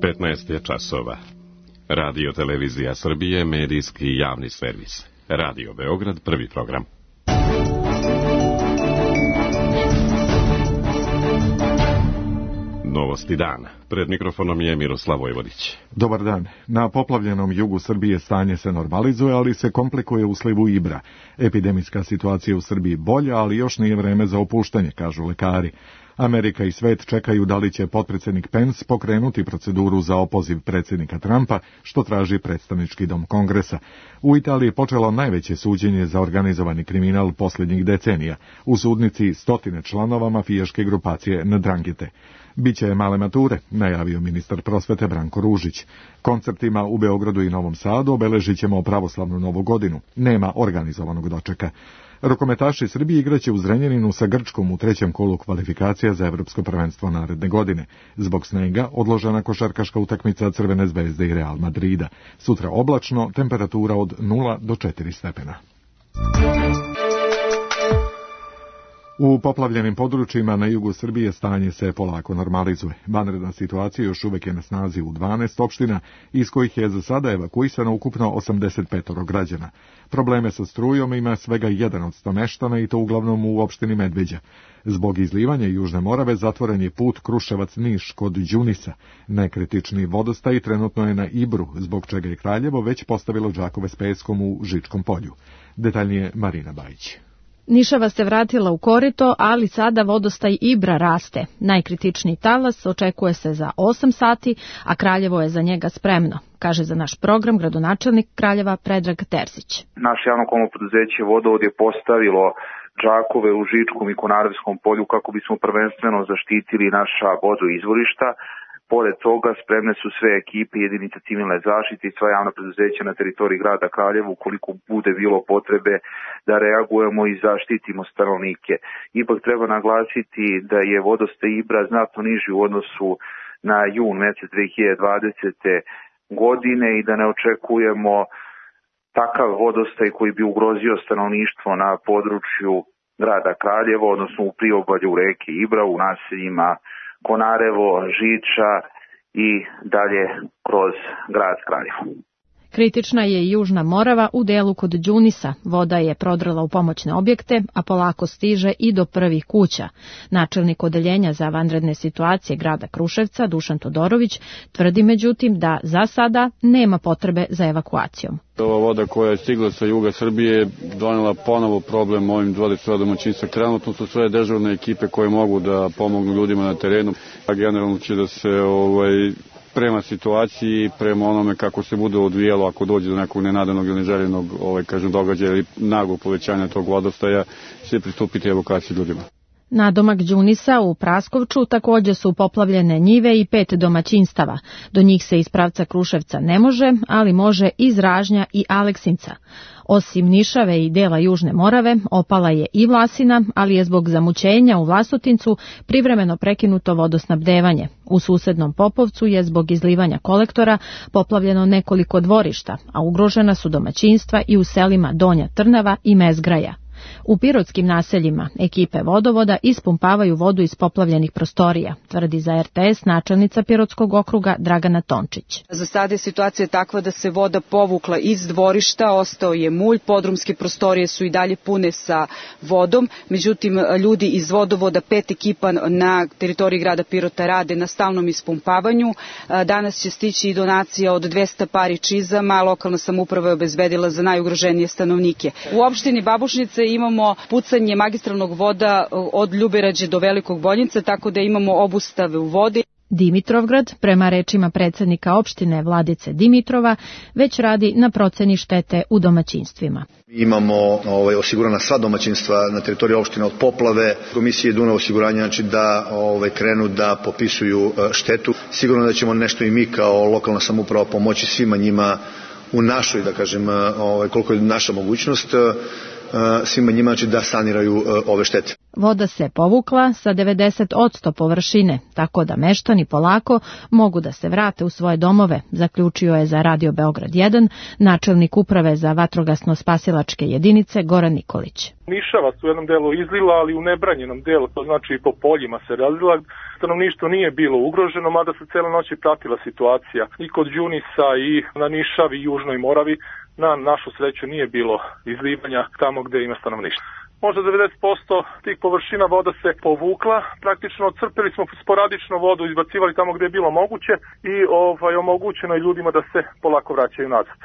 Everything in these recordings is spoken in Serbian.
15 je časova. Radio Televizija Srbije, medijski javni servis. Radio Beograd, prvi program. Novosti dana. Pred mikrofonom je Miroslav Vojvodić. Dobar dan. Na poplavljenom jugu Srbije stanje se normalizuje, ali se komplikuje u slivu Ibra. Epidemijska situacija u Srbiji bolja, ali još nije vreme za opuštanje, kažu lekari. Amerika i svet čekaju da li će potpredsjednik Pence pokrenuti proceduru za opoziv predsjednika Trumpa, što traži predstavnički dom Kongresa. U Italiji je počelo najveće suđenje za organizovani kriminal posljednjih decenija. U sudnici 100 članova mafijaške grupacije Ndranghete. Biće male mature, najavio ministar prosvete Branko Ružić. Koncertima u Beogradu i Novom Sadu obeležit ćemo pravoslavnu Novu godinu. Nema organizovanog dočeka. Rukometaši Srbije igraće u Zrenjaninu sa Grčkom u trećem kolu kvalifikacija za evropsko prvenstvo naredne godine. Zbog snega odložena košarkaška utakmica Crvene zvezde i Real Madrida. Sutra oblačno, temperatura od 0 do 4 stepena. U poplavljenim područjima na jugu Srbije stanje se polako normalizuje. Vanredna situacija još uvijek je na snazi u 12 opština, iz kojih je za sada evakuisano ukupno 85 građana. Probleme sa strujom ima svega 1% meštana i to uglavnom u opštini Medveđa. Zbog izlivanja Južne Morave zatvoren je put Kruševac-Niš kod Đunisa. Nekritični vodostaj trenutno je na Ibru, zbog čega je Kraljevo već postavilo džakove s peskom u Žičkom polju. Detaljnije Marina Bajić. Nišava se vratila u korito, ali sada vodostaj Ibra raste. Najkritičniji talas očekuje se za 8 sati, a Kraljevo je za njega spremno, kaže za naš program gradonačelnik Kraljeva Predrag Terzić. Naše javno komunalno preduzeće Vodovod je postavilo džakove u Žičkom i Konarevskom polju kako bismo prvenstveno zaštitili naša vodoizvorišta. Pored toga spremne su sve ekipe jedinice civilne zaštite i sva javna preduzeća na teritoriji grada Kraljeva ukoliko bude bilo potrebe da reagujemo i zaštitimo stanovnike. Ipak treba naglasiti da je vodostaj Ibra znatno niži u odnosu na jun mjesec 2020. godine i da ne očekujemo takav vodostaj koji bi ugrozio stanovništvo na području grada Kraljeva, odnosno u priobalju reke Ibra, u naseljima Konarevo, Žiča i dalje kroz grad Kraljevo. Kritična je i Južna Morava u delu kod Đunisa. Voda je prodrla u pomoćne objekte, a polako stiže i do prvih kuća. Načelnik odeljenja za vanredne situacije grada Kruševca, Dušan Todorović, tvrdi međutim da za sada nema potrebe za evakuacijom. Ova voda koja je stigla sa juga Srbije donela ponovo problem ovim 20 domaćinstva. Trenutno su sve dežurne ekipe koje mogu da pomognu ljudima na terenu. A generalno će da se prema situaciji, prema onome kako se bude odvijalo ako dođe do nekog nenadanog ili neželjenog događaja ili naglog povećanja tog vodostaja, će pristupiti evokaciji ljudima. Nadomak Đunisa u Praskovču također su poplavljene njive i 5 domaćinstava. Do njih se iz pravca Kruševca ne može, ali može iz Ražnja i Aleksinca. Osim Nišave i dela Južne Morave, opala je i Vlasina, ali je zbog zamućenja u Vlasotincu privremeno prekinuto vodosnabdevanje. U susednom Popovcu je zbog izlivanja kolektora poplavljeno nekoliko dvorišta, a ugrožena su domaćinstva i u selima Donja Trnava i Mezgraja. U pirotskim naseljima ekipe vodovoda ispumpavaju vodu iz poplavljenih prostorija, tvrdi za RTS načelnica Pirotskog okruga Dragana Tončić. Za sada je situacija takva da se voda povukla iz dvorišta, ostao je mulj, podrumske prostorije su i dalje pune sa vodom, međutim ljudi iz vodovoda, 5 ekipa na teritoriji grada Pirota rade na stalnom ispumpavanju. Danas će stići i donacija od 200 pari čizama, lokalna samouprava je obezbedila za najugroženije stanovnike. U opštini Babušnice imamo pucanje magistralnog voda od Ljuberađe do Velikog Boljinca, tako da imamo obustave u vodi. Dimitrovgrad, prema rečima predsjednika opštine Vladice Dimitrova, već radi na proceni štete u domaćinstvima. Imamo osigurana sva domaćinstva na teritoriji opštine od poplave. Komisije Dunav osiguranja znači da krenu da popisuju štetu. Sigurno da ćemo nešto i mi kao lokalna samouprava pomoći svima njima u našoj, da kažem, koliko je naša mogućnost, svima njima znači da saniraju ove štete. Voda se povukla sa 90% površine, tako da meštani polako mogu da se vrate u svoje domove, zaključio je za Radio Beograd 1 načelnik uprave za vatrogasno-spasilačke jedinice Goran Nikolić. Nišavac u jednom delu izlila, ali u nebranjenom delu, to znači i po poljima se razlila. Stanovništvo nije bilo ugroženo, mada se cele noći pratila situacija i kod Đunisa i na Nišavi i Južnoj Moravi. Na našu sreću nije bilo izlivanja tamo gde ima stanovništvo. Možda 90% tih površina voda se povukla, praktično crpili smo sporadično vodu, izbacivali tamo gde je bilo moguće i omogućeno je ljudima da se polako vraćaju nazad.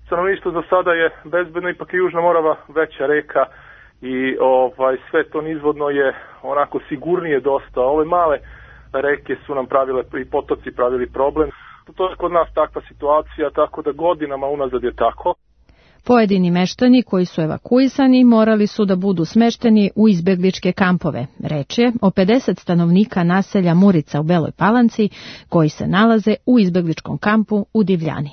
Stanovništvo za sada je bezbedno, ipak je Južna Morava veća reka i sve to nizvodno je onako sigurnije dosta. Ove male reke su nam pravile i potoci pravili problem. To je kod nas takva situacija, tako da godinama unazad je tako. Pojedini meštani koji su evakuisani morali su da budu smešteni u izbegličke kampove. Reč je o 50 stanovnika naselja Murica u Beloj Palanci koji se nalaze u izbegličkom kampu u Divljani.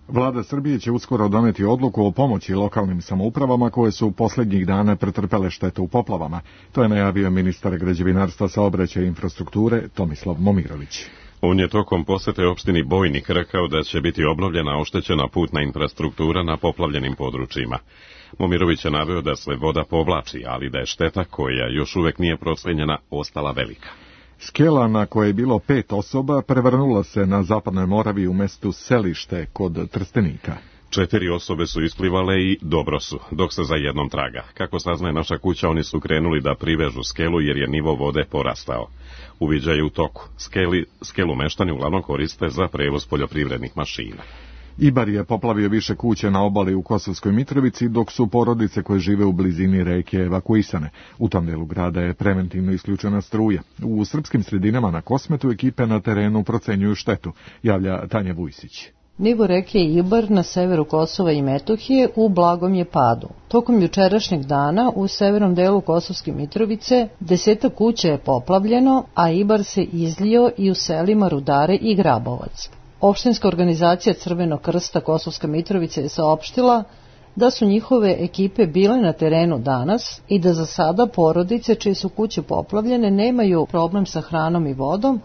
Vlada Srbije će uskoro doneti odluku o pomoći lokalnim samoupravama koje su poslednjih dana pretrpele štetu u poplavama. To je najavio ministar građevinarstva, saobraćaja i infrastrukture Tomislav Momirović. On je tokom posete opštini Bojnik rekao da će biti obnovljena oštećena putna infrastruktura na poplavljenim područjima. Momirović je naveo da se voda povlači, ali da je šteta koja još uvek nije procenjena ostala velika. Skela na kojoj je bilo 5 osoba prevrnula se na Zapadnoj Moravi u mestu Selište kod Trstenika. 4 osobe su isplivale i dobro su, dok se za jednom traga. Kako saznaje Naša kuća, oni su krenuli da privežu skelu jer je nivo vode porastao. Uviđaj je u toku. Skelu meštani uglavnom koriste za prevoz poljoprivrednih mašina. Ibar je poplavio više kuće na obali u Kosovskoj Mitrovici, dok su porodice koje žive u blizini reke evakuisane. U tom delu grada je preventivno isključena struja. U srpskim sredinama na Kosmetu ekipe na terenu procenjuju štetu, javlja Tanja Vujsić. Nivo reke Ibar na severu Kosova i Metohije u blagom je padu. Tokom jučerašnjeg dana u severnom delu Kosovske Mitrovice 10 kuća je poplavljeno, a Ibar se izlio i u selima Rudare i Grabovac. Opštinska organizacija Crvenog krsta Kosovska Mitrovica je saopštila da su njihove ekipe bile na terenu danas i da za sada porodice čije su kuće poplavljene nemaju problem sa hranom i vodom,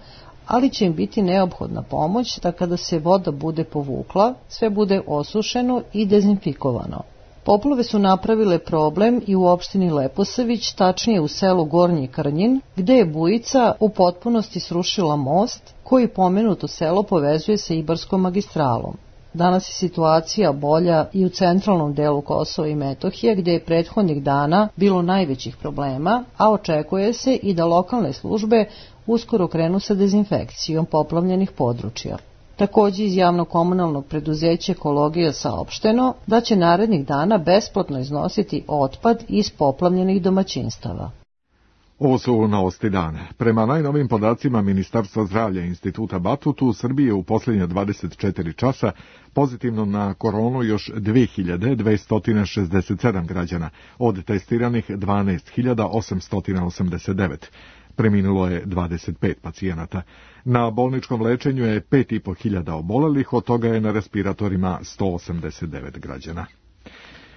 ali će im biti neophodna pomoć da kada se voda bude povukla, sve bude osušeno i dezinfikovano. Poplave su napravile problem i u opštini Leposavić, tačnije u selu Gornji Krnjin, gde je bujica u potpunosti srušila most koji pomenuto selo povezuje sa Ibarskom magistralom. Danas je situacija bolja i u centralnom delu Kosova i Metohije, gde je prethodnih dana bilo najvećih problema, a očekuje se i da lokalne službe uskoro krenu sa dezinfekcijom poplavljenih područja. Takođe iz javno-komunalnog preduzeća Ekologija saopšteno da će narednih dana besplatno iznositi otpad iz poplavljenih domaćinstava. Ovo su novosti dana. Prema najnovim podacima Ministarstva zdravlja i Instituta Batut, u Srbiji je u posljednje 24 časa pozitivno na koronu još 2267 građana, od testiranih 12.889. Preminulo je 25 pacijenata. Na bolničkom lečenju je 5.500 obolelih, od toga je na respiratorima 189 građana.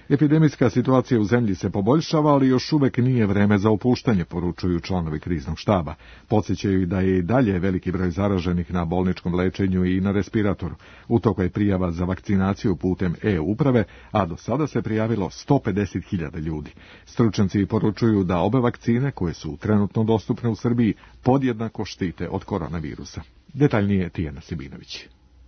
Epidemijska situacija u zemlji se poboljšava, ali još uvek nije vreme za opuštanje, poručuju članovi kriznog štaba. Podsjećaju da je i dalje veliki broj zaraženih na bolničkom lečenju i na respiratoru. U toku je prijava za vakcinaciju putem e-uprave, a do sada se prijavilo 150.000 ljudi. Stručnjaci poručuju da obe vakcine, koje su trenutno dostupne u Srbiji, podjednako štite od koronavirusa. Detaljnije Tijana Sibinović.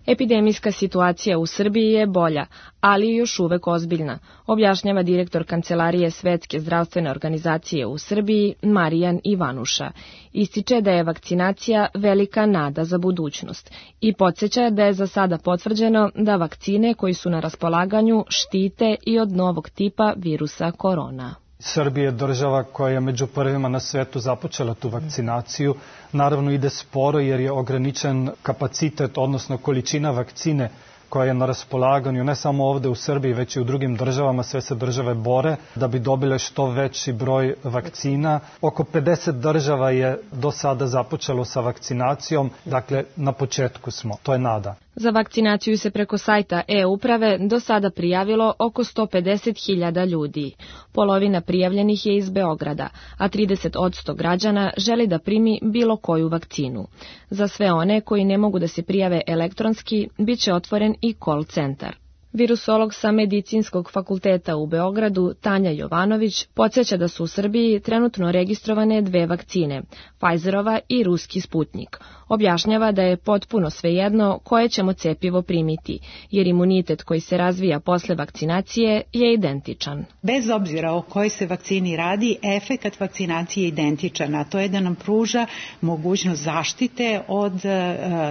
Epidemijska situacija u Srbiji je bolja, ali je još uvek ozbiljna, objašnjava direktor Kancelarije Svetske zdravstvene organizacije u Srbiji Marijan Ivanuša. Ističe da je vakcinacija velika nada za budućnost i podsjeća da je za sada potvrđeno da vakcine koji su na raspolaganju štite i od novog tipa virusa korona. Srbija je država koja je među prvima na svetu započela tu vakcinaciju. Naravno ide sporo jer je ograničen kapacitet, odnosno količina vakcine koja je na raspolaganju ne samo ovde u Srbiji, već i u drugim državama. Sve se države bore da bi dobile što veći broj vakcina. Oko 50 država je do sada započelo sa vakcinacijom, dakle na početku smo, to je nada. Za vakcinaciju se preko sajta e-uprave do sada prijavilo oko 150.000 ljudi. Polovina prijavljenih je iz Beograda, a 30% građana želi da primi bilo koju vakcinu. Za sve one koji ne mogu da se prijave elektronski, bit će otvoren i call centar. Virusolog sa Medicinskog fakulteta u Beogradu, Tanja Jovanović, podsjeća da su u Srbiji trenutno registrovane 2 vakcine, Pfizerova i ruski Sputnik. Objašnjava da je potpuno svejedno koje ćemo cepivo primiti, jer imunitet koji se razvija posle vakcinacije je identičan. Bez obzira o kojoj se vakcini radi, efekat vakcinacije je identičan, a to je da nam pruža mogućnost zaštite od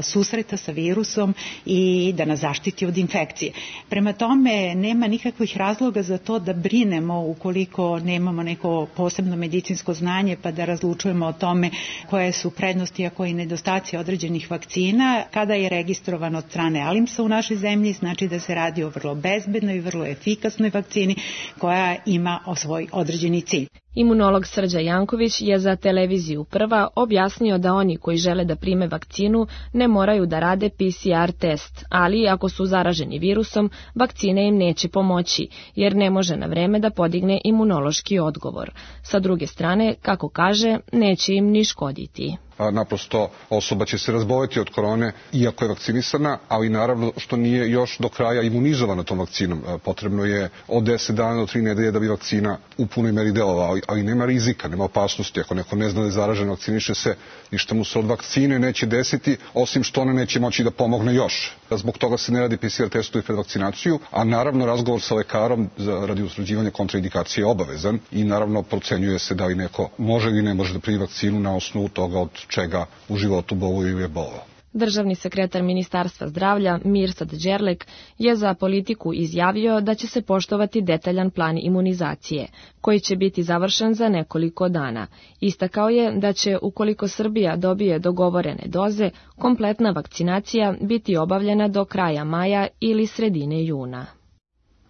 susreta sa virusom i da nas zaštiti od infekcije. Prema tome, nema nikakvih razloga za to da brinemo ukoliko nemamo neko posebno medicinsko znanje pa da razlučujemo o tome koje su prednosti, a koji nedostaci određenih vakcina. Kada je registrovan od strane ALIMS-a u našoj zemlji, znači da se radi o vrlo bezbednoj i vrlo efikasnoj vakcini koja ima svoj određeni cilj. Imunolog Srđa Janković je za televiziju Prva objasnio da oni koji žele da prime vakcinu ne moraju da rade PCR test, ali ako su zaraženi virusom, vakcina im neće pomoći, jer ne može na vreme da podigne imunološki odgovor. Sa druge strane, kako kaže, neće im ni škoditi. Naprosto osoba će se razboleti od korone iako je vakcinisana, ali naravno što nije još do kraja imunizovana tom vakcinom. Potrebno je od 10 dana do 3 nedelje da bi vakcina u punoj meri delovala, ali nema rizika, nema opasnosti. Ako neko ne zna da je zaražen, vakciniše se, ništa mu se od vakcine neće desiti, osim što ona neće moći da pomogne još. Zbog toga se ne radi PCR testovi pred vakcinaciju, a naravno razgovor sa lekarom radi utvrđivanja kontraindikacije je obavezan i naravno procenjuje se da li neko može ili ne može da primi vakcinu na osnovu toga od čega u životu boluje ili je bolovao. Državni sekretar Ministarstva zdravlja Mirsad Đerlek je za Politiku izjavio da će se poštovati detaljan plan imunizacije, koji će biti završen za nekoliko dana. Istakao je da će, ukoliko Srbija dobije dogovorene doze, kompletna vakcinacija biti obavljena do kraja maja ili sredine juna.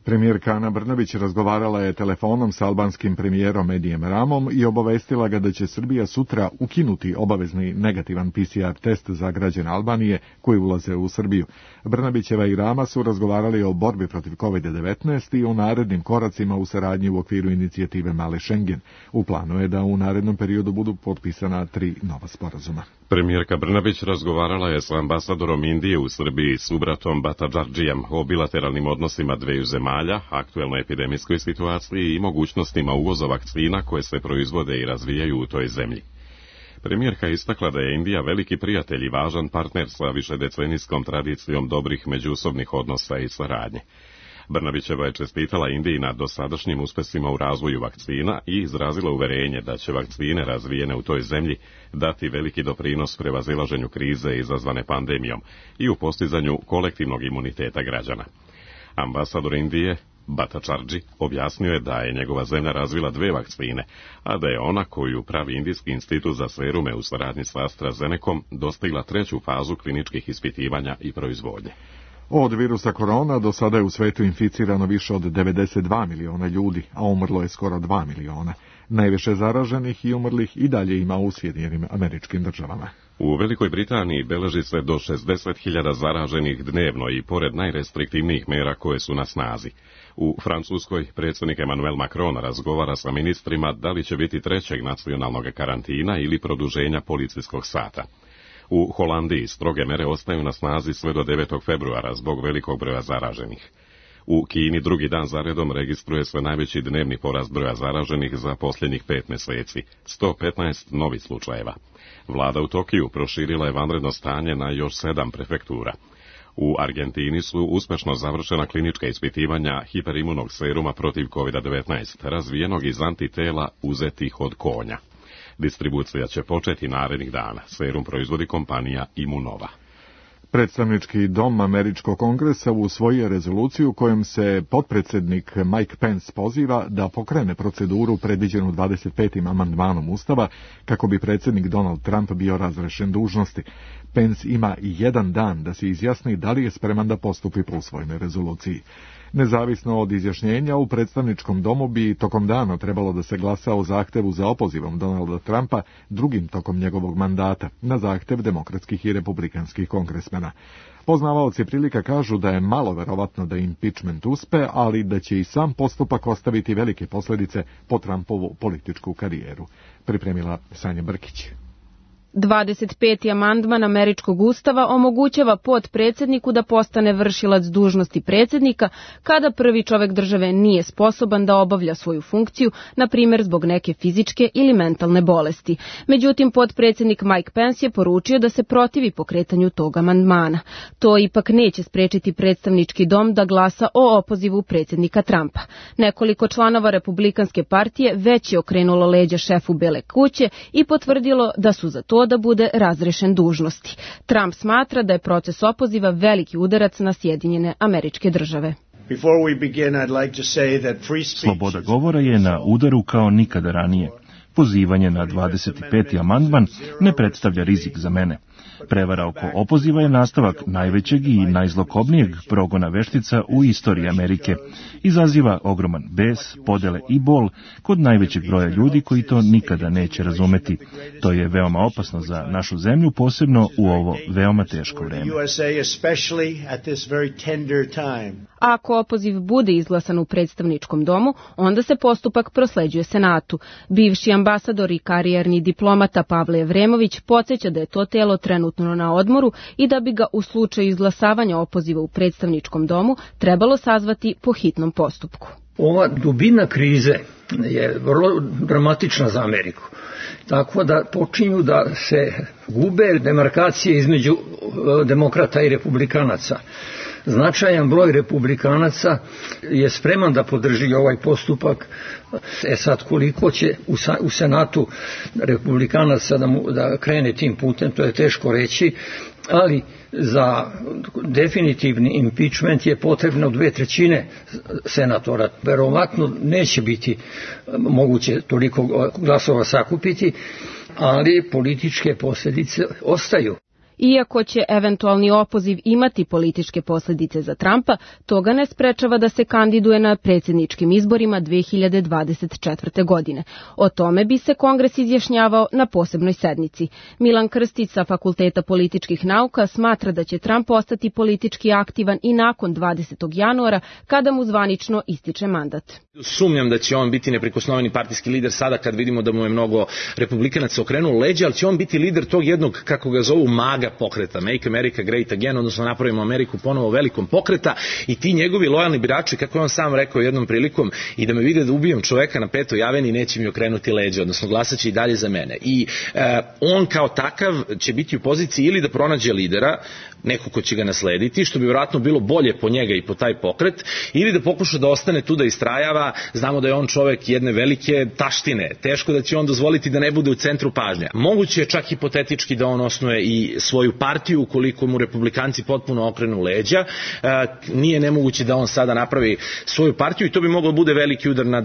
Premijerka Ana Brnabić razgovarala je telefonom sa albanskim premijerom Edijem Ramom i obavestila ga da će Srbija sutra ukinuti obavezni negativan PCR test za građane Albanije koji ulaze u Srbiju. Brnabićeva i Rama su razgovarali o borbi protiv COVID-19 i o narednim koracima u saradnji u okviru inicijative Mali Schengen. U planu je da u narednom periodu budu potpisana 3 nova sporazuma. Premijerka Brnabić razgovarala je sa ambasadorom Indije u Srbiji Subratom Bhattacharjijem o bilateralnim odnosima dveju zemalja, aktuelnoj epidemijskoj situaciji i mogućnostima uvoza vakcina koje se proizvode i razvijaju u toj zemlji. Premijerka istakla da je Indija veliki prijatelj i važan partner sa višedecenijskom tradicijom dobrih međusobnih odnosa i saradnje. Brnabićeva je čestitala Indiji na dosadašnjim uspesima u razvoju vakcina i izrazila uverenje da će vakcine razvijene u toj zemlji dati veliki doprinos prevazilaženju krize izazvane pandemijom i u postizanju kolektivnog imuniteta građana. Ambasador Indije Bhattacharjee objasnio je da je njegova zemlja razvila 2 vakcine, a da je ona koju pravi Indijski institut za serume u saradnji sa AstraZenecom dostigla 3. fazu kliničkih ispitivanja i proizvodnje. Od virusa korona do sada je u svetu inficirano više od 92 miliona ljudi, a umrlo je skoro 2 miliona. Najviše zaraženih i umrlih i dalje ima u Sjedinjenim Američkim Državama. U Velikoj Britaniji beleži se do 60.000 zaraženih dnevno i pored najrestriktivnijih mera koje su na snazi. U Francuskoj predsjednik Emmanuel Macron razgovara sa ministrima da li će biti 3. nacionalnog karantina ili produženja policijskog sata. U Holandiji stroge mere ostaju na snazi sve do 9. februara zbog velikog broja zaraženih. U Kini drugi dan zaredom registruje se najveći dnevni porast broja zaraženih za posljednjih 5 mjeseci, 115 novih slučajeva. Vlada u Tokiju proširila je vanredno stanje na još 7 prefektura. U Argentini su uspješno završena klinička ispitivanja hiperimunog seruma protiv COVID-19, razvijenog iz antitela uzetih od konja. Distribucija će početi narednih dana. Serum proizvodi kompanija Immunova. Predstavnički dom Američkog kongresa usvojio rezoluciju kojom se potpredsjednik Mike Pence poziva da pokrene proceduru predviđenu 25. amandmanom Ustava kako bi predsjednik Donald Trump bio razrešen dužnosti. Pence ima 1 dan da se izjasni da li je spreman da postupi po usvojenoj rezoluciji. Nezavisno od izjašnjenja, u predstavničkom domu bi tokom dana trebalo da se glasa o zahtevu za opozivom Donalda Trumpa drugim tokom njegovog mandata, na zahtev demokratskih i republikanskih kongresmena. dana. Poznavaoci prilika kažu da je malo verovatno da impičment uspe, ali da će i sam postupak ostaviti velike posljedice po Trumpovu političku karijeru. Pripremila Sanja Brkić. 25. amandman američkog ustava omogućava potpredsjedniku da postane vršilac dužnosti predsjednika kada prvi čovjek države nije sposoban da obavlja svoju funkciju, na primjer zbog neke fizičke ili mentalne bolesti. Međutim, potpredsjednik Mike Pence je poručio da se protivi pokretanju tog amandmana. To ipak neće spriječiti predstavnički dom da glasa o opozivu predsjednika Trumpa. Nekoliko članova Republikanske partije već je okrenulo leđa šefu Bele kuće i potvrdilo da su za to da bude razrešen dužnosti. Trump smatra da je proces opoziva veliki udarac na Sjedinjene Američke Države. Sloboda govora je na udaru kao nikada ranije. Pozivanje na 25. amandman ne predstavlja rizik za mene. Prevara oko opoziva je nastavak najvećeg i najzlokobnijeg progona veštica u istoriji Amerike. Izaziva ogroman bes, podele i bol kod najvećeg broja ljudi koji to nikada neće razumeti. To je veoma opasno za našu zemlju, posebno u ovo veoma teško vreme. Ako opoziv bude izglasan u predstavničkom domu, onda se postupak prosleđuje Senatu. Bivši ambasador i karijerni diplomata Pavle Evremović podsjeća da je to telo trenutno na odmoru i da bi ga u slučaju izglasavanja opoziva u predstavničkom domu trebalo sazvati po hitnom postupku. Ova dubina krize je vrlo dramatična za Ameriku. Tako da počinju da se gube demarkacije između demokrata i republikanaca. Značajan broj republikanaca je spreman da podrži ovaj postupak. Sad koliko će u Senatu republikanaca da krene tim putem, to je teško reći, ali za definitivni impeachment je potrebno 2/3 senatora. Verovatno neće biti moguće toliko glasova sakupiti, ali političke posljedice ostaju. Iako će eventualni opoziv imati političke posljedice za Trumpa, to ga ne sprečava da se kandiduje na predsjedničkim izborima 2024. godine. O tome bi se Kongres izjašnjavao na posebnoj sednici. Milan Krstić sa Fakulteta političkih nauka smatra da će Trump ostati politički aktivan i nakon 20. januara kada mu zvanično ističe mandat. Sumnjam da će on biti neprikosnoveni partijski lider sada kad vidimo da mu je mnogo republikanaca okrenulo leđa, ali će on biti lider tog jednog, kako ga zovu, maga pokreta, Make America Great Again, odnosno napravimo Ameriku ponovo velikom pokreta, i ti njegovi lojalni birači, kako je on sam rekao jednom prilikom, i da me vide da ubijem čoveka na Petoj aveni, neće mi okrenuti leđa, odnosno glasaće i dalje za mene. I on kao takav će biti u poziciji ili da pronađe lidera, neko ko će ga naslediti, što bi vjerojatno bilo bolje po njega i po taj pokret, ili da pokuša da ostane tu da istrajava. Znamo da je on čovek jedne velike taštine, teško da će on dozvoliti da ne bude u centru pažnje. Moguće je čak hipotetički da on osnuje i svoju partiju ukoliko mu republikanci potpuno okrenu leđa. Nije nemoguće da on sada napravi svoju partiju i to bi moglo bude veliki udar na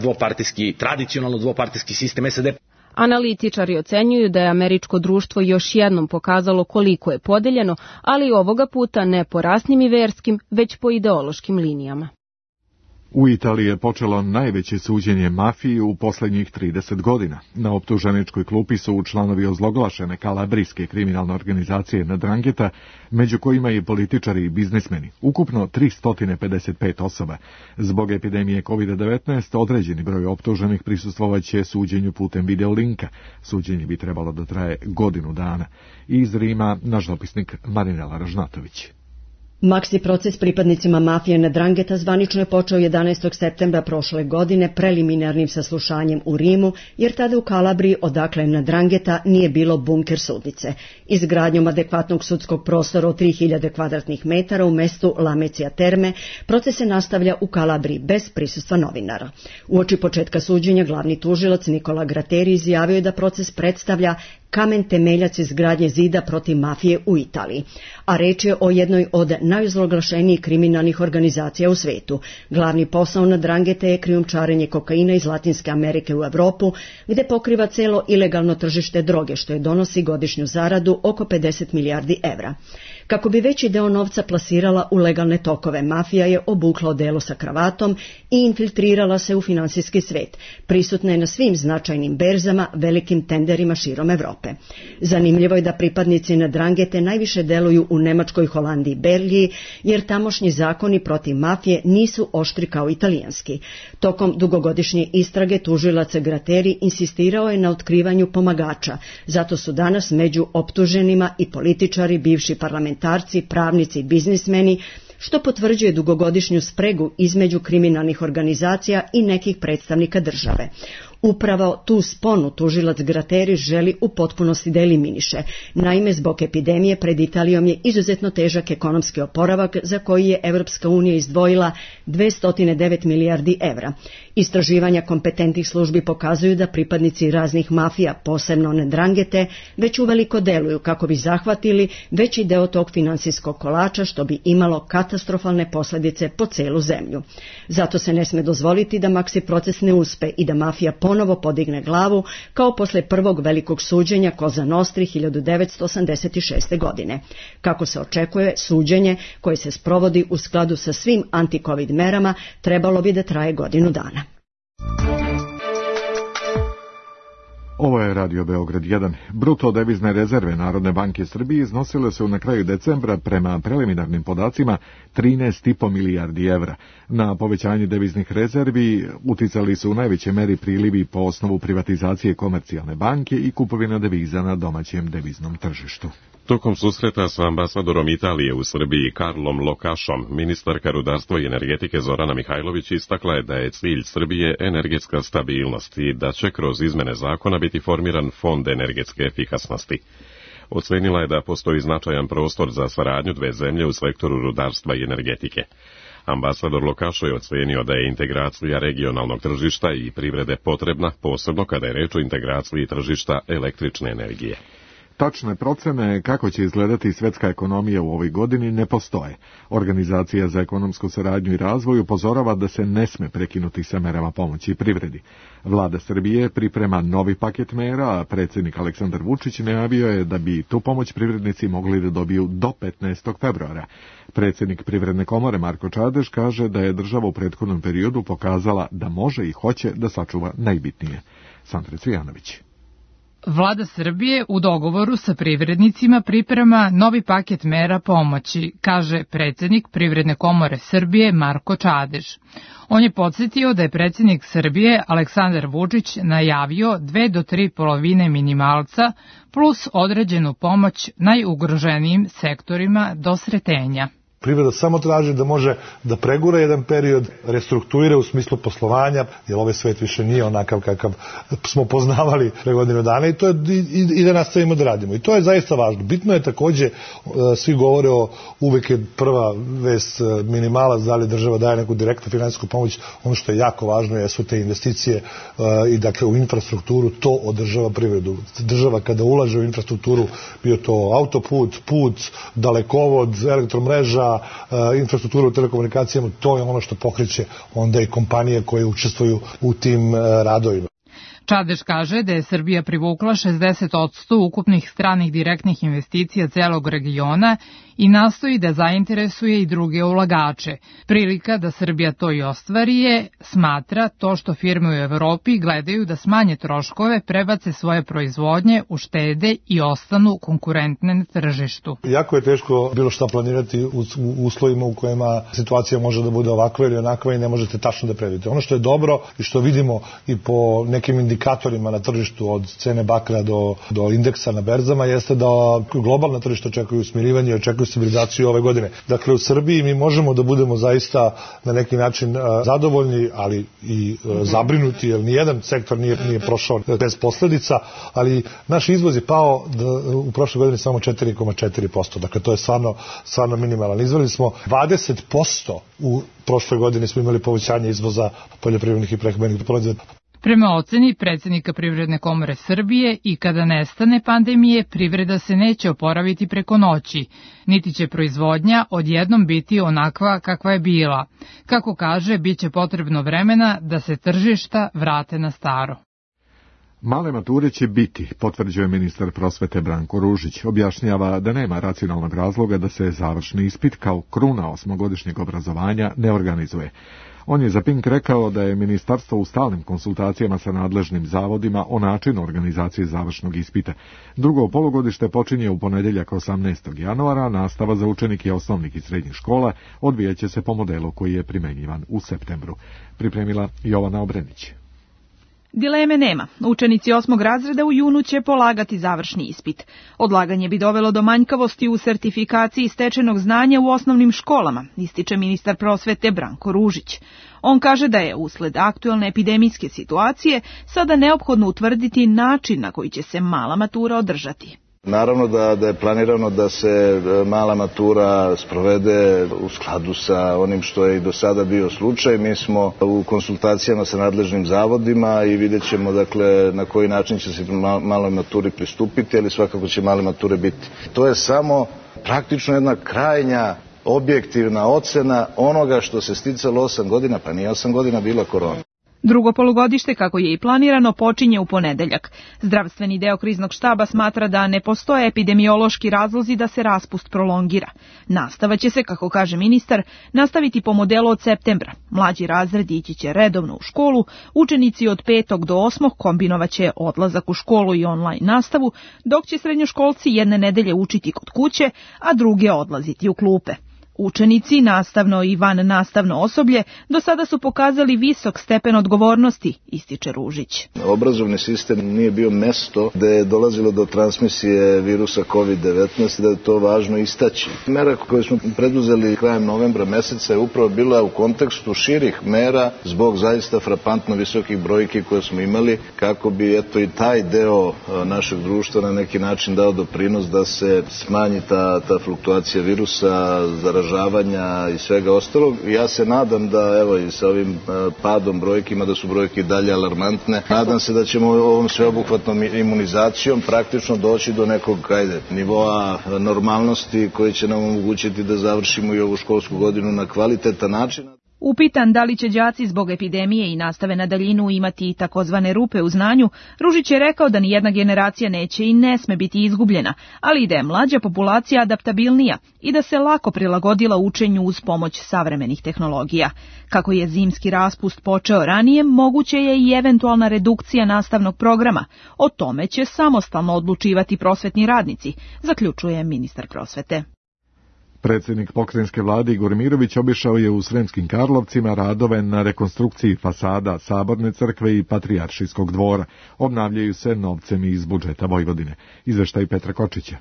tradicionalno dvopartijski sistem SAD. Analitičari ocenjuju da je američko društvo još jednom pokazalo koliko je podeljeno, ali ovoga puta ne po rasnim i verskim, već po ideološkim linijama. U Italiji je počelo najveće suđenje mafiji u posljednjih 30 godina. Na optuženičkoj klupi su članovi ozloglašene kalabrijske kriminalne organizacije Ndrangheta, među kojima i političari i biznismeni. Ukupno 355 osoba. Zbog epidemije COVID-19 određeni broj optuženih prisustvovaće suđenju putem videolinka. Suđenje bi trebalo da traje godinu dana. Iz Rima naš dopisnik Marinela Ražnatović. Maksi proces pripadnicima mafije Ndrangheta zvanično je počeo 11. septembra prošle godine preliminarnim saslušanjem u Rimu, jer tada u Kalabriji, odakle Ndrangheta, nije bilo bunker sudnice. Izgradnjom adekvatnog sudskog prostora od 3000 kvadratnih metara u mestu Lamezia Terme, proces se nastavlja u Kalabriji bez prisustva novinara. Uoči početka suđenja glavni tužilac Nikola Gratteri izjavio je da proces predstavlja kamen temeljac izgradnje zida protiv mafije u Italiji, a reč je o jednoj od najozloglašenijih kriminalnih organizacija u svetu. Glavni posao Ndrangheta je krijumčarenje kokaina iz Latinske Amerike u Evropu, gde pokriva celo ilegalno tržište droge, što je donosi godišnju zaradu oko 50 milijardi evra. Kako bi veći deo novca plasirala u legalne tokove, mafija je obukla odelo sa kravatom i infiltrirala se u finansijski svet. Prisutna je na svim značajnim berzama, velikim tenderima širom Evrope. Evrope. Zanimljivo je da pripadnici Ndrangete najviše deluju u Nemačkoj, Holandiji i Belgiji, jer tamošnji zakoni protiv mafije nisu oštri kao italijanski. Tokom dugogodišnje istrage tužilac Gratteri insistirao je na otkrivanju pomagača, zato su danas među optuženima i političari, bivši parlamentarci, pravnici i biznismeni, što potvrđuje dugogodišnju spregu između kriminalnih organizacija i nekih predstavnika države. Upravo tu sponu tužilac Gratteri želi u potpunosti da eliminiše. Naime, zbog epidemije pred Italijom je izuzetno težak ekonomski oporavak za koji je Evropska unija izdvojila 209 milijardi evra. Istraživanja kompetentnih službi pokazuju da pripadnici raznih mafija, posebno Ndrangete, već uveliko deluju kako bi zahvatili veći deo tog finansijskog kolača, što bi imalo katastrofalne posljedice po celu zemlju. Zato se ne sme dozvoliti da maksi proces ne uspe i da mafija ponovo podigne glavu, kao posle prvog velikog suđenja Cosa Nostri 1986. godine. Kako se očekuje, suđenje koje se sprovodi u skladu sa svim anti-covid merama trebalo bi da traje godinu dana. Ovo je Radio Beograd 1. Bruto devizne rezerve Narodne banke Srbije iznosile su na kraju decembra prema preliminarnim podacima 13,5 milijardi evra. Na povećanje deviznih rezervi uticali su u najvećoj meri prilivi po osnovu privatizacije Komercijalne banke i kupovina deviza na domaćem deviznom tržištu. Tokom susreta sa ambasadorom Italije u Srbiji Karlom Lokašom, ministarka rudarstva i energetike Zorana Mihajlović istakla je da je cilj Srbije energetska stabilnost i da će kroz izmene zakona biti formiran fond energetske efikasnosti. Ocenila je da postoji značajan prostor za saradnju dve zemlje u sektoru rudarstva i energetike. Ambasador Lokašo je ocenio da je integracija regionalnog tržišta i privrede potrebna, posebno kada je reč o integraciji tržišta električne energije. Tačne procene kako će izgledati svetska ekonomija u ovoj godini ne postoje. Organizacija za ekonomsku saradnju i razvoj upozorava da se ne sme prekinuti sa merama pomoći privredi. Vlada Srbije priprema novi paket mera, a predsjednik Aleksandar Vučić najavio je da bi tu pomoć privrednici mogli da dobiju do 15. februara. Predsjednik Privredne komore Marko Čadež kaže da je država u prethodnom periodu pokazala da može i hoće da sačuva najbitnije. Sandra Cvijanović. Vlada Srbije u dogovoru sa privrednicima priprema novi paket mera pomoći, kaže predsjednik Privredne komore Srbije Marko Čadež. On je podsjetio da je predsjednik Srbije Aleksandar Vučić najavio 2 do 3 polovine minimalca plus određenu pomoć najugroženijim sektorima do sretenja. Privreda samo traži da može da pregura jedan period, restrukturira u smislu poslovanja, jer ovaj svet više nije onakav kakav smo poznavali pre godinu dana i da nastavimo da radimo. I to je zaista važno. Bitno je takođe, svi govore o, uvek je prva vest minimalac, da li država daje neku direktnu finansijsku pomoć. Ono što je jako važno jesu te investicije i dakle u infrastrukturu, to održava privredu. Država kada ulaže u infrastrukturu, bio to autoput, put, dalekovod, elektromreža, infrastrukturu u telekomunikacijama, to je ono što pokreće onda i kompanije koje učestvuju u tim radovima. Čadež kaže da je Srbija privukla 60% ukupnih stranih direktnih investicija celog regiona i nastoji da zainteresuje i druge ulagače. Prilika da Srbija to i ostvari je, smatra, to što firme u Evropi gledaju da smanje troškove, prebace svoje proizvodnje, uštede i ostanu konkurentne na tržištu. Jako je teško bilo šta planirati u uslovima u kojima situacija može da bude ovakva ili onakva i ne možete tačno da predvidite. Ono što je dobro i što vidimo i po nekim indikatorima na tržištu od cene bakra do indeksa na berzama jeste da globalna tržišta očekuju smirivanje i očekuju stabilizaciju ove godine. Dakle, u Srbiji mi možemo da budemo zaista na neki način zadovoljni, ali i zabrinuti, jer nijedan sektor nije prošao bez posledica, ali naš izvoz je pao u prošle godine samo 4,4%. Dakle, to je stvarno minimalan. Izveli smo 20% u prošloj godini smo imali povećanje izvoza poljoprivrednih i prehrambenih proizvoda. Prema oceni predsjednika Privredne komore Srbije, i kada nestane pandemije, privreda se neće oporaviti preko noći, niti će proizvodnja odjednom biti onakva kakva je bila. Kako kaže, bit će potrebno vremena da se tržišta vrate na staro. Male mature će biti, potvrđuje ministar prosvete Branko Ružić. Objašnjava da nema racionalnog razloga da se završni ispit kao kruna osmogodišnjeg obrazovanja ne organizuje. On je za Pink rekao da je ministarstvo u stalnim konsultacijama sa nadležnim zavodima o načinu organizacije završnog ispita. Drugo polugodište počinje u ponedeljak 18. januara, nastava za učenike osnovnih i srednjih škola odvijaće se po modelu koji je primenjivan u septembru. Pripremila Jovana Obrenić. Dileme nema. Učenici 8. razreda u junu će polagati završni ispit. Odlaganje bi dovelo do manjkavosti u sertifikaciji stečenog znanja u osnovnim školama, ističe ministar prosvete Branko Ružić. On kaže da je usled aktuelne epidemijske situacije sada neophodno utvrditi način na koji će se mala matura održati. Naravno da je planirano da se mala matura sprovede u skladu sa onim što je i do sada bio slučaj. Mi smo u konsultacijama sa nadležnim zavodima i vidjet ćemo dakle na koji način će se maloj maturi pristupiti, ali svakako će male mature biti. To je samo praktično jedna krajnja objektivna ocena onoga što se sticalo 8 godina, pa nije 8 godina bila korona. Drugo polugodište, kako je i planirano, počinje u ponedeljak. Zdravstveni deo kriznog štaba smatra da ne postoje epidemiološki razlozi da se raspust prolongira. Nastava će se, kako kaže ministar, nastaviti po modelu od septembra. Mlađi razredi ići će redovno u školu, učenici od 5. do 8. kombinovaće odlazak u školu i online nastavu, dok će srednjoškolci jedne nedelje učiti kod kuće, a druge odlaziti u klupe. Učenici, nastavno i van nastavno osoblje, do sada su pokazali visok stepen odgovornosti, ističe Ružić. Obrazovni sistem nije bio mesto gde je dolazilo do transmisije virusa COVID-19, da je to važno istaći. Mera koju smo preduzeli krajem novembra meseca je upravo bila u kontekstu širih mera zbog zaista frapantno visokih brojki koje smo imali, kako bi eto i taj deo našeg društva na neki način dao doprinos da se smanji ta fluktuacija virusa, zaražavanja i svega ostalog. Ja se nadam da, evo i sa ovim padom brojkima, da su brojke dalje alarmantne. Nadam se da ćemo ovom sveobuhvatnom imunizacijom praktično doći do nekog nivoa normalnosti koji će nam omogućiti da završimo i ovu školsku godinu na kvalitetan način. Upitan da li će đaci zbog epidemije i nastave na daljinu imati takozvane rupe u znanju, Ružić je rekao da nijedna generacija neće i ne sme biti izgubljena, ali i da je mlađa populacija adaptabilnija i da se lako prilagodila učenju uz pomoć savremenih tehnologija. Kako je zimski raspust počeo ranije, moguće je i eventualna redukcija nastavnog programa. O tome će samostalno odlučivati prosvetni radnici, zaključuje ministar prosvete. Predsjednik pokrajinske vlade Igor Mirović obišao je u Sremskim Karlovcima radove na rekonstrukciji fasada Saborne crkve i Patrijaršijskog dvora. Obnavljaju se novcem iz budžeta Vojvodine. Izveštaj Petra Kočića.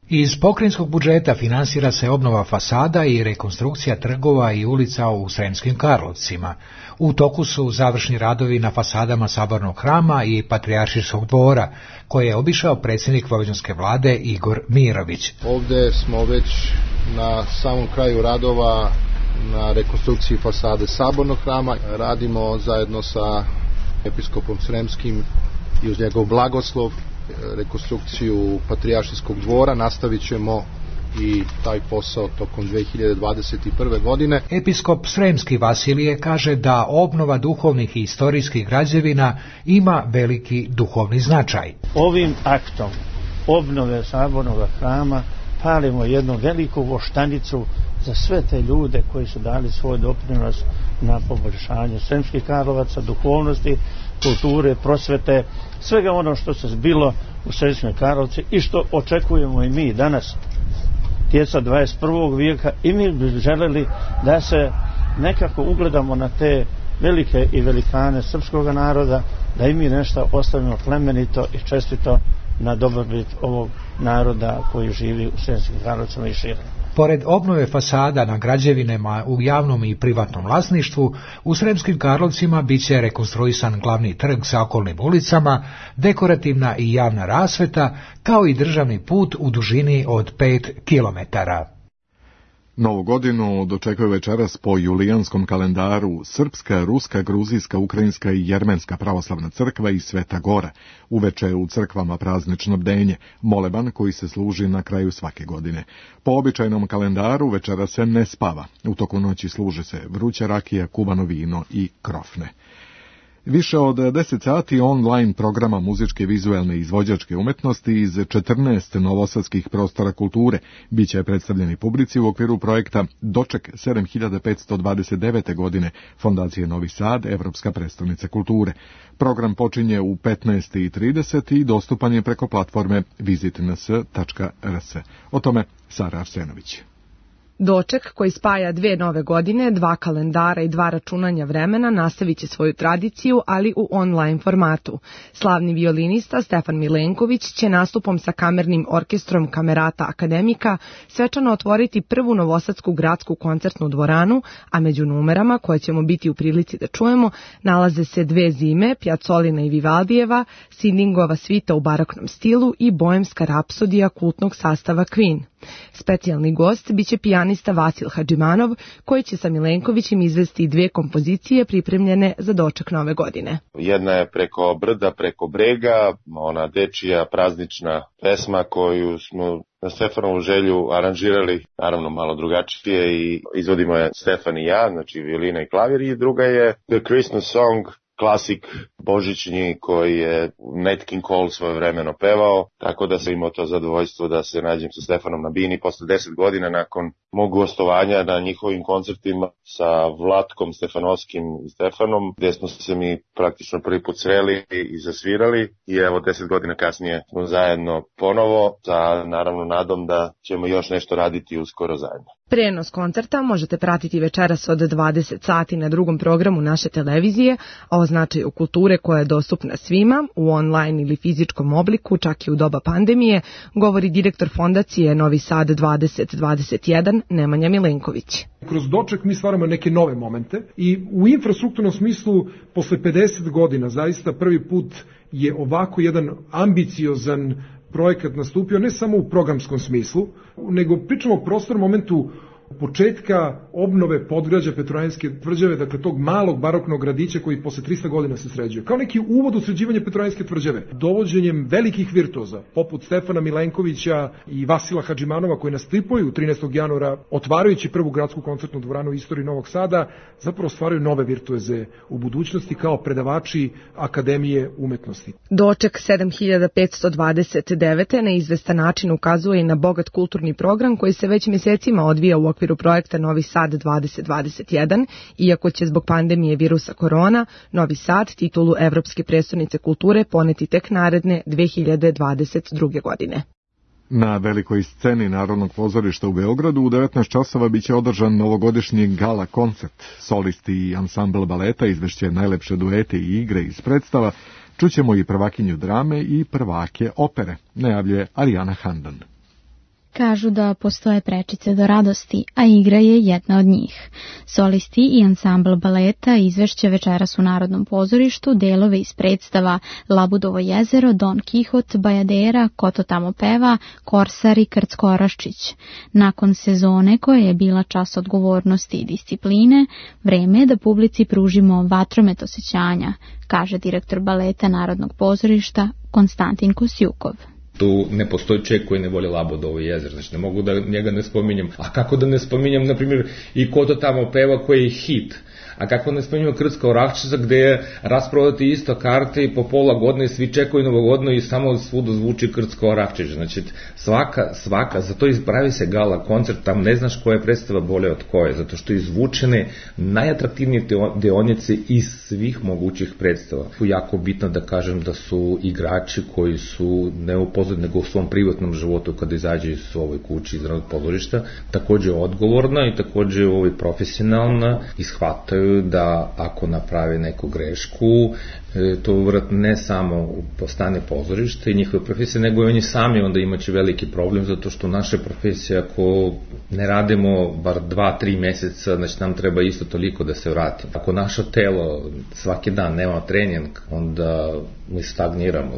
Iz pokrajinskog budžeta finansira se obnova fasada i rekonstrukcija trgova i ulica u Sremskim Karlovcima. U toku su završni radovi na fasadama Sabornog hrama i Patrijaršijskog dvora, koje je obišao predsjednik vojvođanske vlade Igor Mirović. Ovdje smo već na samom kraju radova na rekonstrukciji fasade Sabornog hrama. Radimo zajedno sa episkopom Sremskim i uz njegov blagoslov rekonstrukciju Patrijaršijskog dvora. Nastavit ćemo i taj posao tokom 2021. godine. Episkop Sremski Vasilije kaže da obnova duhovnih i istorijskih građevina ima veliki duhovni značaj. Ovim aktom obnove Sabornog hrama palimo jednu veliku voštanicu za sve te ljude koji su dali svoj doprinos na poboljšanju Sremskih Karlovaca, duhovnosti, kulture, prosvete, svega ono što se zbilo u Sremskim Karlovci i što očekujemo i mi danas, djeca 21. vijeka, i mi bi želeli da se nekako ugledamo na te velike i velikane srpskog naroda, da i mi nešto ostavimo plemenito i čestito na dobrobit ovog naroda koji živi u Sremskim Karlovcima i šire. Pored obnove fasada na građevinama u javnom i privatnom vlasništvu, u Sremskim Karlovcima biće rekonstruisan glavni trg sa okolnim ulicama, dekorativna i javna rasveta, kao i državni put u dužini od 5 kilometara. Novu godinu dočekuje večeras po julijanskom kalendaru Srpska, Ruska, Gruzijska, Ukrajinska i Jermenska pravoslavna crkva i Sveta Gora. Uveče u crkvama praznično bdenje, moleban koji se služi na kraju svake godine. Po običajnom kalendaru večera se ne spava. U toku noći služe se vruća rakija, kuvano vino i krofne. Više od 10 sati online programa muzičke, vizuelne i izvođačke umetnosti iz 14 novosadskih prostora kulture biće predstavljeni publici u okviru projekta Doček 7529. godine Fondacije Novi Sad, Evropska prestolnica kulture. Program počinje u 15:30 i dostupan je preko platforme visitns.rs. O tome Sara Arsenović. Doček, koji spaja 2 nove godine, 2 kalendara i 2 računanja vremena, nastavit će svoju tradiciju, ali u online formatu. Slavni violinista Stefan Milenković će nastupom sa kamernim orkestrom Kamerata Akademika svečano otvoriti prvu novosadsku gradsku koncertnu dvoranu, a među numerama koje ćemo biti u prilici da čujemo nalaze se 2 zime, Pjacolina i Vivaldijeva, Sidingova svita u baroknom stilu i boemska rapsodija kultnog sastava Queen. Specijalni gost biće pijanista Vasil Hadžimanov, koji će sa Milenkovićem izvesti 2 kompozicije pripremljene za doček nove godine. Jedna je Preko brda, preko brega, ona dečija praznična pesma koju smo na Stefanovu želju aranžirali, naravno malo drugačije, i izvodimo je Stefan i ja, znači violina i klavir, i druga je The Christmas Song, klasik božićnji koji je Nat King Cole svojevremeno pevao, tako da sam imao to zadovoljstvo da se nađem sa Stefanom na bini posle 10 godina nakon mog gostovanja na njihovim koncertima sa Vlatkom Stefanovskim i Stefanom, gde smo se mi praktično prvi put sreli i zasvirali, i evo 10 godina kasnije smo zajedno ponovo, sa naravno nadom da ćemo još nešto raditi uskoro zajedno. Prenos koncerta možete pratiti večeras od 20 sati na drugom programu naše televizije, a o značaju kulture koja je dostupna svima u online ili fizičkom obliku, čak i u doba pandemije, govori direktor Fondacije Novi Sad 2021 Nemanja Milenković. Kroz doček mi stvaramo neke nove momente i u infrastrukturnom smislu posle 50 godina zaista prvi put je ovako jedan ambiciozan projekat nastupio, ne samo u programskom smislu, nego pričamo o prostornom momentu početka obnove podgrađa Petrovaradinske tvrđave, dakle tog malog baroknog gradića koji posle 300 godina se sređuje. Kao neki uvod u sređivanje Petrovaradinske tvrđave, dovođenjem velikih virtuoza, poput Stefana Milenkovića i Vasila Hadžimanova, koji nastupaju 13. januara, otvarajući prvu gradsku koncertnu dvoranu u istoriji Novog Sada, zapravo stvaraju nove virtuoze u budućnosti kao predavači Akademije umetnosti. Doček 7529. na izvestan način ukazuje i na bogat kulturni program koji se već mjesecima odvija u okviru projekta Novi Sad 2021, iako će zbog pandemije virusa korona Novi Sad titulu Evropske prestolnice kulture poneti tek naredne 2022. godine. Na velikoj sceni Narodnog pozorišta u Beogradu u 19 časova biće održan novogodišnji gala koncert. Solisti i ansambl baleta izvešće najlepše duete i igre iz predstava. Čućemo i prvakinju drame i prvake opere, najavljuje Arijana Handan. Kažu da postoje prečice do radosti, a igra je jedna od njih. Solisti i ansambl baleta izvešće večeras u Narodnom pozorištu delove iz predstava Labudovo jezero, Don Kihot, Bajadera, Ko to tamo peva, Korsar i Krcko Oraščić. Nakon sezone koja je bila čas odgovornosti i discipline, vreme je da publici pružimo vatromet osjećanja, kaže direktor baleta Narodnog pozorišta Konstantin Kosjukov. Tu ne postoji čovjek koji ne voli Labudovo jezero, znači ne mogu da njega ne spominjem. A kako da ne spominjem, na primjer, i Ko to tamo peva koji je hit? A kako ne spominjamo Krcka Oraščica gde je rasprodati isto karte i po pola godine svi čekaju novogodno i samo svuda zvuči Krcka Oraščica. Znači svaka, zato ispravi se gala koncert, tam ne znaš koja je predstava bolje od koje, zato što izvučene najatraktivnije deonice iz svih mogućih predstava. Jako bitno da kažem da su igrači koji su ne u pozadini nego u svom privatnom životu kada izađe iz ovoj kući iz Narodnog pozorišta, takođe odgovorna i takođe profesionalna, ishvataju da ako naprave neku grešku, to vratno ne samo po stane pozorište i njihove profesije, nego i oni sami onda imaće veliki problem, zato što naše profesije, ako ne radimo bar 2-3 meseca, znači nam treba isto toliko da se vratimo. Ako naše telo svaki dan nema trening, onda mi stagniramo.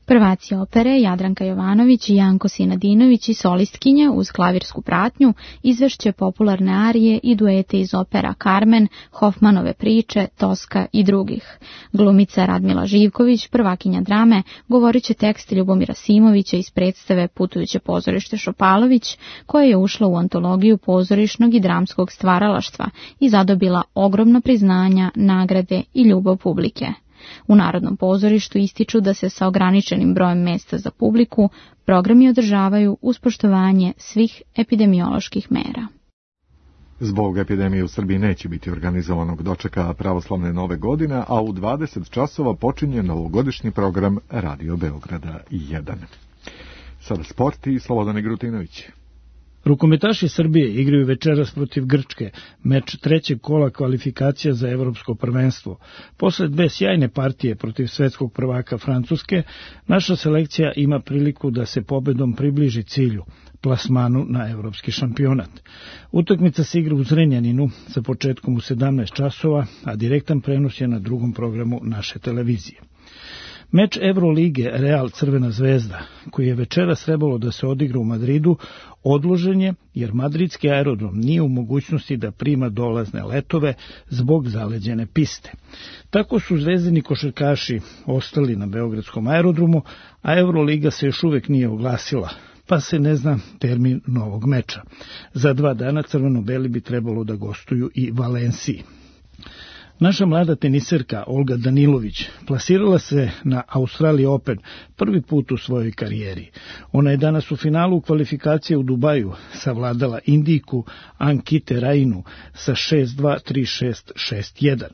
Prvaci opere Jadranka Jovanović i Janko Sinadinović i solistkinja uz klavirsku pratnju izvešće popularne arije i duete iz opera Carmen, Hofmanove priče, Toska i drugih. Glumica Radmila Živković, prvakinja drame, govorit će tekst Ljubomira Simovića iz predstave Putujuće pozorište Šopalović, koja je ušla u antologiju pozorišnog i dramskog stvaralaštva i zadobila ogromna priznanja, nagrade i ljubav publike. U Narodnom pozorištu ističu da se sa ograničenim brojem mesta za publiku programi održavaju uz poštovanje svih epidemioloških mera. Zbog epidemije u Srbiji neće biti organizovanog dočeka pravoslavne nove godine, a u 20 časova počinje novogodišnji program Radio Beograda 1. Sada sport i Slobodan Grutinović. Rukometaši Srbije igraju večeras protiv Grčke, meč trećeg kola kvalifikacija za evropsko prvenstvo. Posle dve sjajne partije protiv svetskog prvaka Francuske, naša selekcija ima priliku da se pobedom približi cilju, plasmanu na evropski šampionat. Utakmica se igra u Zrenjaninu sa početkom u 17 časova, a direktan prenos je na drugom programu naše televizije. Meč Evrolige Real Crvena zvezda, koji je večeras trebalo da se odigra u Madridu, odložen je jer madridski aerodrom nije u mogućnosti da prima dolazne letove zbog zaleđene piste. Tako su zvezdini košarkaši ostali na beogradskom aerodromu, a Evroliga se još uvek nije oglasila, pa se ne zna termin novog meča. Za 2 dana crveno-beli bi trebalo da gostuju i Valenciji. Naša mlada teniserka Olga Danilović plasirala se na Australian Open prvi put u svojoj karijeri. Ona je danas u finalu kvalifikacije u Dubaju savladala Indijku Ankite Rainu sa 6-2, 3-6, 6-1.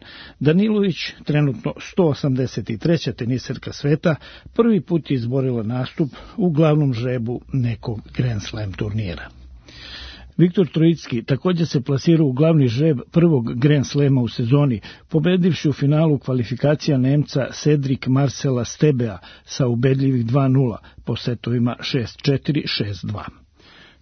Danilović, trenutno 183. teniserka sveta, prvi put je izborila nastup u glavnom žrebu nekog Grand Slam turnira. Viktor Trojicki također se plasirao u glavni žreb prvog Grand Slema u sezoni, pobedivši u finalu kvalifikacija Nemca Cedric Marcela Stebea sa ubedljivih 2-0 po setovima 6-4, 6-2.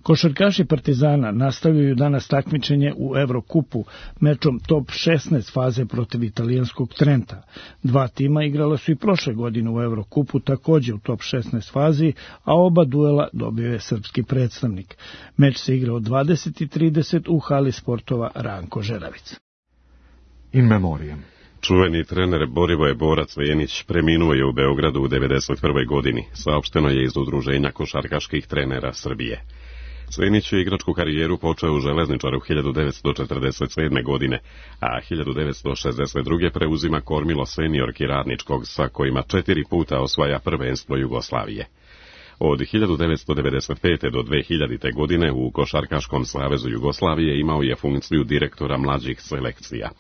Košarkaši Partizana nastavljaju danas takmičenje u Evrokupu mečom top 16 faze protiv italijanskog Trenta. 2 tima igrala su i prošle godine u Evrokupu također u top 16 fazi, a oba duela dobio je srpski predstavnik. Meč se igra od 20:30 u hali sportova Ranko Žeravica. In memoriam. Čuveni trener Borivoje Borac Venić preminuo je u Beogradu u 91. godini, saopšteno je iz Udruženja košarkaških trenera Srbije. Svenić je igračku karijeru počeo u Železničaru 1947. godine, a 1962. preuzima kormilo seniorki Radničkog, sa kojima 4 puta osvaja prvenstvo Jugoslavije. Od 1995. do 2000. godine u Košarkaškom savezu Jugoslavije imao je funkciju direktora mlađih selekcija.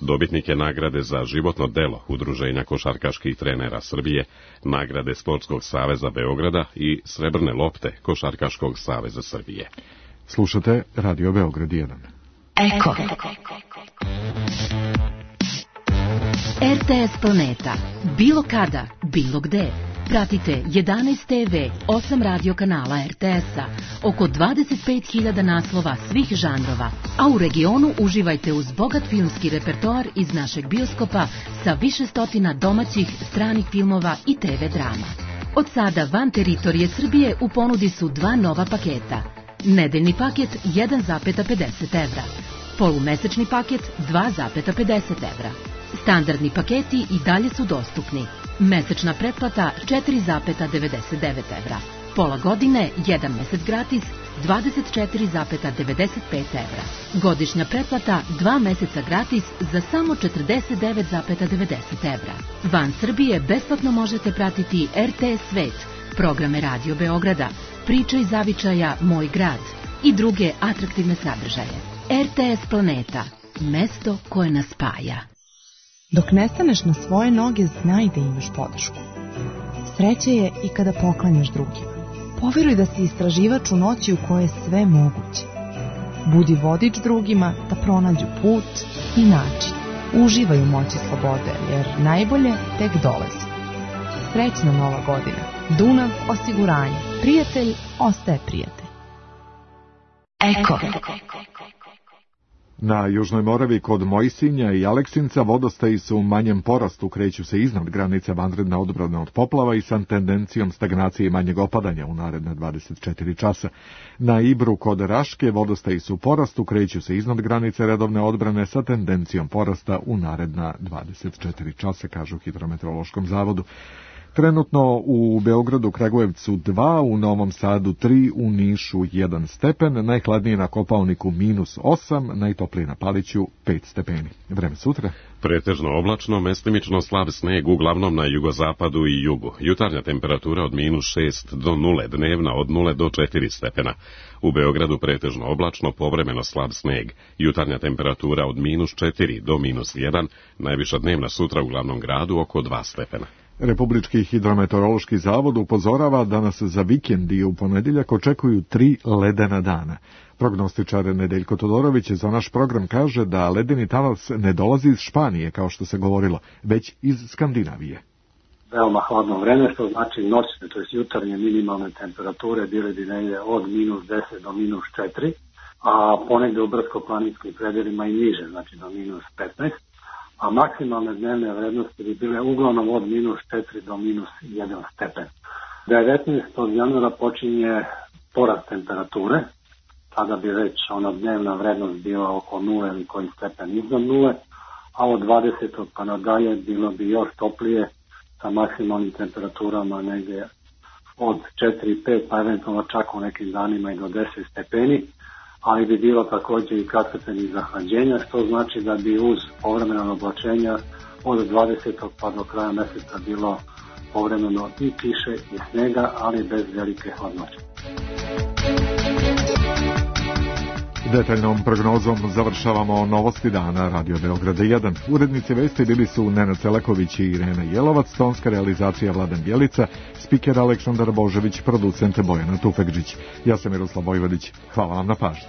Dobitnik je nagrade za životno delo Udruženja košarkaških trenera Srbije, nagrade Sportskog saveza Beograda i srebrne lopte Košarkaškog saveza Srbije. Slušate Radio Beograd 1. Eko. RTS Planeta. Bilo kada, bilo gde. Pratite 11 TV, 8 radio kanala RTS-a, oko 25.000 naslova svih žanrova, a u regionu uživajte uz bogat filmski repertoar iz našeg bioskopa sa više stotina domaćih, stranih filmova i TV drama. Od sada van teritorije Srbije u ponudi su 2 nova paketa. Nedeljni paket 1,50 evra, polumesečni paket 2,50 evra. Standardni paketi i dalje su dostupni. Mesečna pretplata 4,99 evra. Pola godine, 1 mesec gratis, 24,95 evra. Godišnja pretplata 2 meseca gratis za samo 49,90 evra. Van Srbije besplatno možete pratiti RTS Svet, programe Radio Beograda, Priče iz zavičaja Moj grad i druge atraktivne sadržaje. RTS Planeta, mesto koje nas spaja. Dok ne staneš na svoje noge, znaj da imaš podršku. Sreće je i kada poklanjaš drugima. Poveruj da si istraživač u noći u kojoj je sve moguće. Budi vodič drugima da pronađu put i način. Uživaj u moći slobode, jer najbolje tek dolazi. Srećna nova godina. Dunav osiguranje. Prijatelj ostaje prijatelj. Eko. Na Južnoj Moravi kod Mojsinja i Aleksinca vodostaji su u manjem porastu, kreću se iznad granice vanredne odbrane od poplava i sa tendencijom stagnacije i manjeg opadanja u naredne 24 časa. Na Ibru kod Raške vodostaji su u porastu, kreću se iznad granice redovne odbrane sa tendencijom porasta u naredna 24 časa, kažu u Hidrometeorološkom zavodu. Trenutno u Beogradu, Kragujevcu 2, u Novom Sadu 3, u Nišu 1 stepen, najhladnije na Kopaoniku -8, najtoplije na Paliću 5 stepeni. Vreme sutra? Pretežno oblačno, mestimično slab sneg uglavnom na jugozapadu i jugu. Jutarnja temperatura od -6 do 0, dnevna od 0 do 4 stepena. U Beogradu pretežno oblačno, povremeno slab sneg. Jutarnja temperatura od -4 do -1, najviša dnevna sutra u glavnom gradu oko 2 stepena. Republički hidrometeorološki zavod upozorava da nas za vikend i u ponedjeljak očekuju 3 ledena dana. Prognostičar Nedeljko Todorović za naš program kaže da ledeni talas ne dolazi iz Španije, kao što se govorilo, već iz Skandinavije. Veoma hladno vreme, što znači noćne, to je jutarnje minimalne temperature bile bi negdje od -10 do -4, a ponegde u brdsko-planinskim predelima i niže, znači do -15. A maksimalne dnevne vrednosti bi bile uglavnom od -4 do -1 stepen. 19. januara počinje porast temperature, tada bi već ona dnevna vrednost bila oko 0 ili koji stepen iznad 0, a od 20. pa nadalje bilo bi još toplije sa maksimalnim temperaturama negdje od 4-5, pa eventualno čak u nekim danima i do 10 stepeni, ali bi bilo također i kratkotrajnih zahlađenja, što znači da bi uz povremena oblačenja od 20. pa do kraja mjeseca bilo povremeno i kiše i snega, ali bez velike hladnoće. Detaljnom prognozom završavamo novosti dana Radio Beograda 1. Urednici vesti bili su Nenad Celaković i Irena Jelovac, tonska realizacija Vladan Bjelica, spiker Aleksandar Božević, producent Bojana Tufekđić. Ja sam Miroslav Vojvodić. Hvala vam na pažnji.